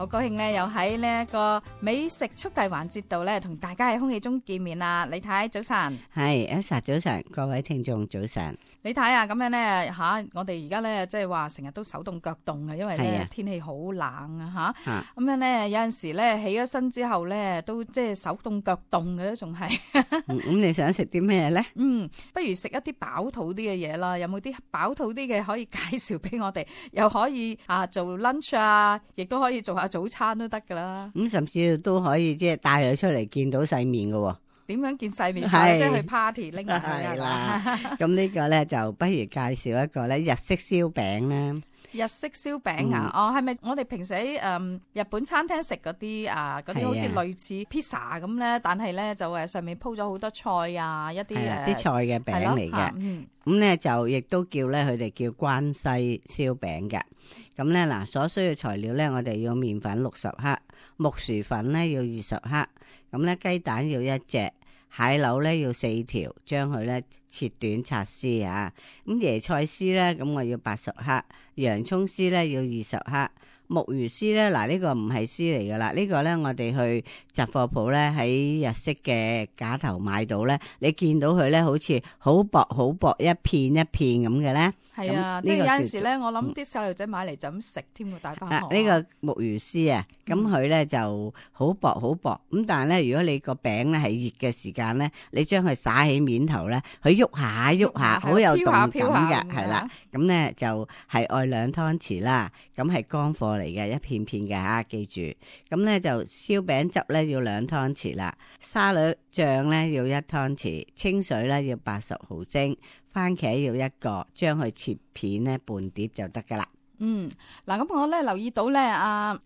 好高興咧，又喺呢一個美食速遞環節度咧，同大家喺空氣中見面啦。李太早晨，係Elsa早晨，各位聽眾早晨。李太啊，咁樣咧吓，我哋而家咧即係話成日都手凍腳凍嘅，因為咧天氣好冷啊吓。咁樣咧有陣時咧起咗身之後咧，都即係手凍腳凍嘅都仲係。咁你想食啲咩咧？不如食一啲飽肚啲嘅嘢啦。有冇啲飽肚啲嘅可以介紹俾我哋？又可以做 lunch 啊，亦都可以做下早餐都得噶啦。咁甚至都可以即係帶佢出嚟見到世面嘅。點樣見世面？即係去 party 拎埋去啦。咁呢個咧就不如介紹一個咧日式燒餅啦。日式燒餅啊？係咪我哋平時喺日本餐廳食嗰啲嗰啲好似類似 pizza 咁咧？但係咧就上面鋪咗好多菜啊，一啲啲菜嘅餅嚟嘅。咁咧就亦都叫咧佢哋叫關西燒餅嘅。咁咧嗱，所需嘅材料咧，我哋要麵粉60克，木薯粉咧要20克，咁咧雞蛋要1隻，蟹柳咧要4條，將佢咧切短拆絲啊。咁椰菜絲咧，咁我要80克，洋葱絲咧要20克，木魚絲咧，嗱呢個唔係絲嚟噶啦，呢個咧我哋去雜貨鋪咧喺日式嘅架頭買到咧，你見到佢咧好似好薄好薄一片一片咁嘅咧。係啊，即係有陣時咧，我諗啲細路仔買嚟就咁食添喎，帶翻學。呢個木魚絲啊，咁佢咧就好薄好薄，咁但係咧，如果你個餅咧係熱嘅時間咧，你將佢撒喺面頭咧，佢喐下喐下，好有動感嘅，係啦。咁咧就係愛2湯匙啦，咁係乾貨嚟嘅，一片片嘅吓，記住。咁咧就燒餅汁咧要2湯匙啦，沙律醬咧要1湯匙，清水咧要80毫升。番茄要1個，將佢切片咧半碟就得噶啦。嗱咁我咧留意到咧，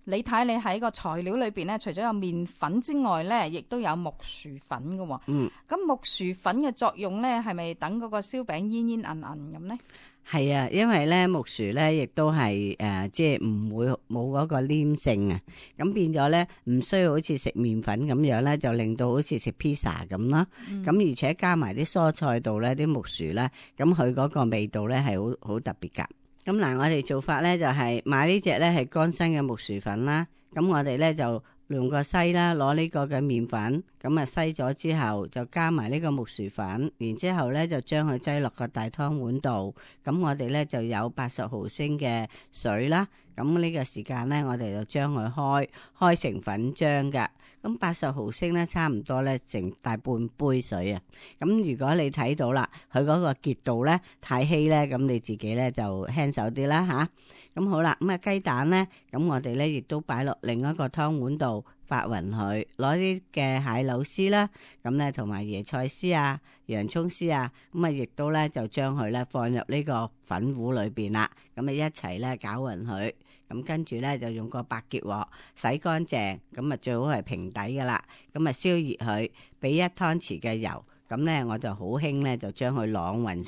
李太你喺個材料裏邊咧，除咗有麵粉之外咧，亦都有木薯粉嘅。咁木薯粉嘅作用咧，係咪等嗰個燒餅煙煙韌韌咁咧？係啊，因為咧木薯咧亦都係即係唔會冇嗰個黏性啊，咁變咗咧唔需要好似食麵粉咁樣咧，就令到好似食 pizza 咁啦。咁而且加埋啲蔬菜度咧，啲木薯咧，咁佢嗰個味道咧係好特別噶。咁嗱，我哋做法咧就係買呢隻咧係乾身嘅木薯粉啦。咁我哋咧就用個篩啦，攞呢個嘅麵粉，咁啊篩咗之後就加埋呢個木薯粉，然之後咧就將佢擠落個大湯碗度。咁我哋咧就有80毫升嘅水啦。咁呢個時間咧，我哋就將佢開成粉漿㗎。咁80毫升咧，差唔多咧成大半杯水啊。咁如果你睇到啦，佢嗰個結度咧太稀咧，咁你自己咧就輕手啲啦吓。咁好啦，咁雞蛋咧，咁我哋咧亦都擺落另一個湯碗度發勻佢，攞啲嘅蟹柳絲啦，咁咧同埋椰菜絲啊、洋葱絲啊，咁啊亦都咧就將佢咧放入呢個粉糊裏邊啦，咁啊一齊咧攪勻佢。咁跟住咧就用個白潔鑊洗乾淨，咁啊最好係平底噶啦，咁啊燒熱佢，俾1湯匙嘅油，咁咧我就好輕咧就將佢啷勻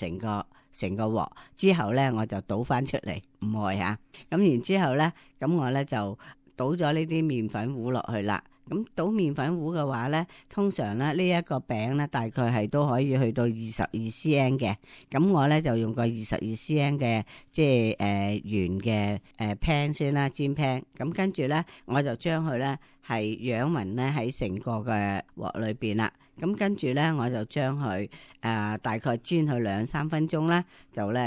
成個鑊，之後咧我就倒翻出嚟，唔愛吓，咁然之後咧，咁我咧就倒咗呢啲麵粉糊落去啦。咁倒麵粉糊嘅話咧，通常咧呢一個餅咧大概係都可以去到22 cm 嘅。咁我咧就用個22 cm 嘅即係圓嘅pan 先啦，煎 pan。咁跟住咧我就將佢咧係養勻咧喺成個嘅鑊裏邊啦。咁跟住咧我就將佢大概煎佢2-3分鐘啦，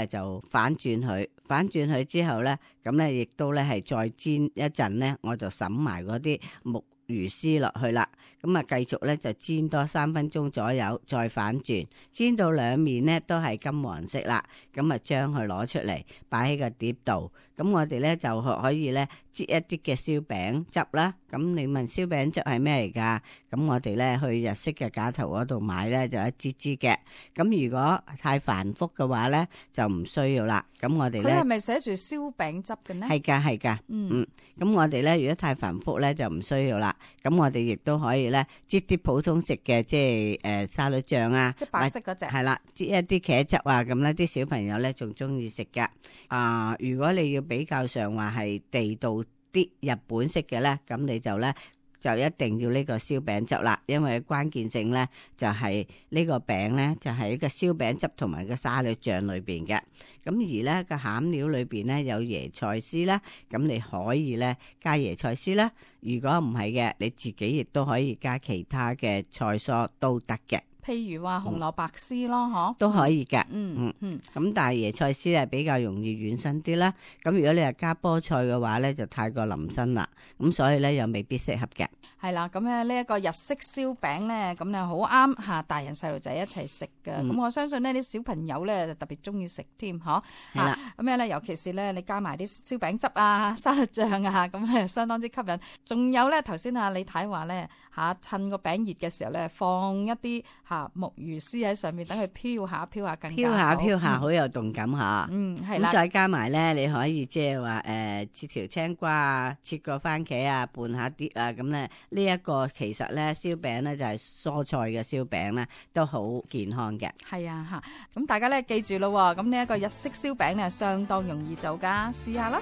就反轉佢之後咧，咁咧亦都咧係再煎一陣咧，我就揼埋嗰啲木魚絲落去啦，咁啊繼續咧就煎多3分鐘左右，再反轉，煎到兩面咧都係金黃色啦，咁啊將佢攞出嚟擺喺個碟度，咁我哋咧就可以咧擠一啲嘅燒餅汁啦。咁你問燒餅汁係咩嚟噶？咁我哋咧去日式嘅架頭嗰度買咧就一支支嘅。咁如果太繁複嘅話咧就唔需要啦。咁我哋咧佢係咪寫住燒餅汁嘅呢？係噶。咁我哋咧如果太繁複咧就唔需要啦。咁我哋亦都可以咧擠啲普通食嘅即係沙律醬啊，即係白色嗰隻係啦，擠一啲茄汁啊，咁咧啲小朋友咧仲中意食噶。如果你要比較上話係地道啲日本式嘅咧，咁你就咧就一定要呢個燒餅汁啦，因為關鍵性咧就係呢個餅咧就係呢個燒餅汁同埋個沙律醬裏邊嘅。咁而咧個餡料裏邊咧有椰菜絲啦，咁你可以咧加椰菜絲啦。如果唔係嘅，你自己亦都可以加其他嘅菜蔬都得嘅。譬如話紅蘿蔔絲咯，嗬，都可以㗎。嗯。咁但係椰菜絲係比較容易軟身啲啦。咁如果你係加菠菜嘅話咧，就太過腍身啦。咁所以咧又未必適合嘅。係啦，咁咧呢一個日式燒餅咧，咁咧好啱嚇大人細路仔一齊食嘅。咁我相信呢啲小朋友咧特別中意食添，嗬。係啦。咁樣咧，尤其是咧你加埋啲燒餅汁啊、沙律醬啊，咁咧相當之吸引。仲有咧頭先李太話咧趁個餅熱嘅時候咧，放一啲木魚絲喺上面，等佢飄下飄下更加好。飄下好有動感嚇。係啦。咁再加埋咧，你可以即係話切條青瓜啊，切個番茄啊，拌下啲啊，咁咧呢一個其實咧燒餅咧就係蔬菜嘅燒餅咧，都好健康嘅。係啊咁大家咧記住咯，咁呢一個日式燒餅咧相當容易做噶，試下啦。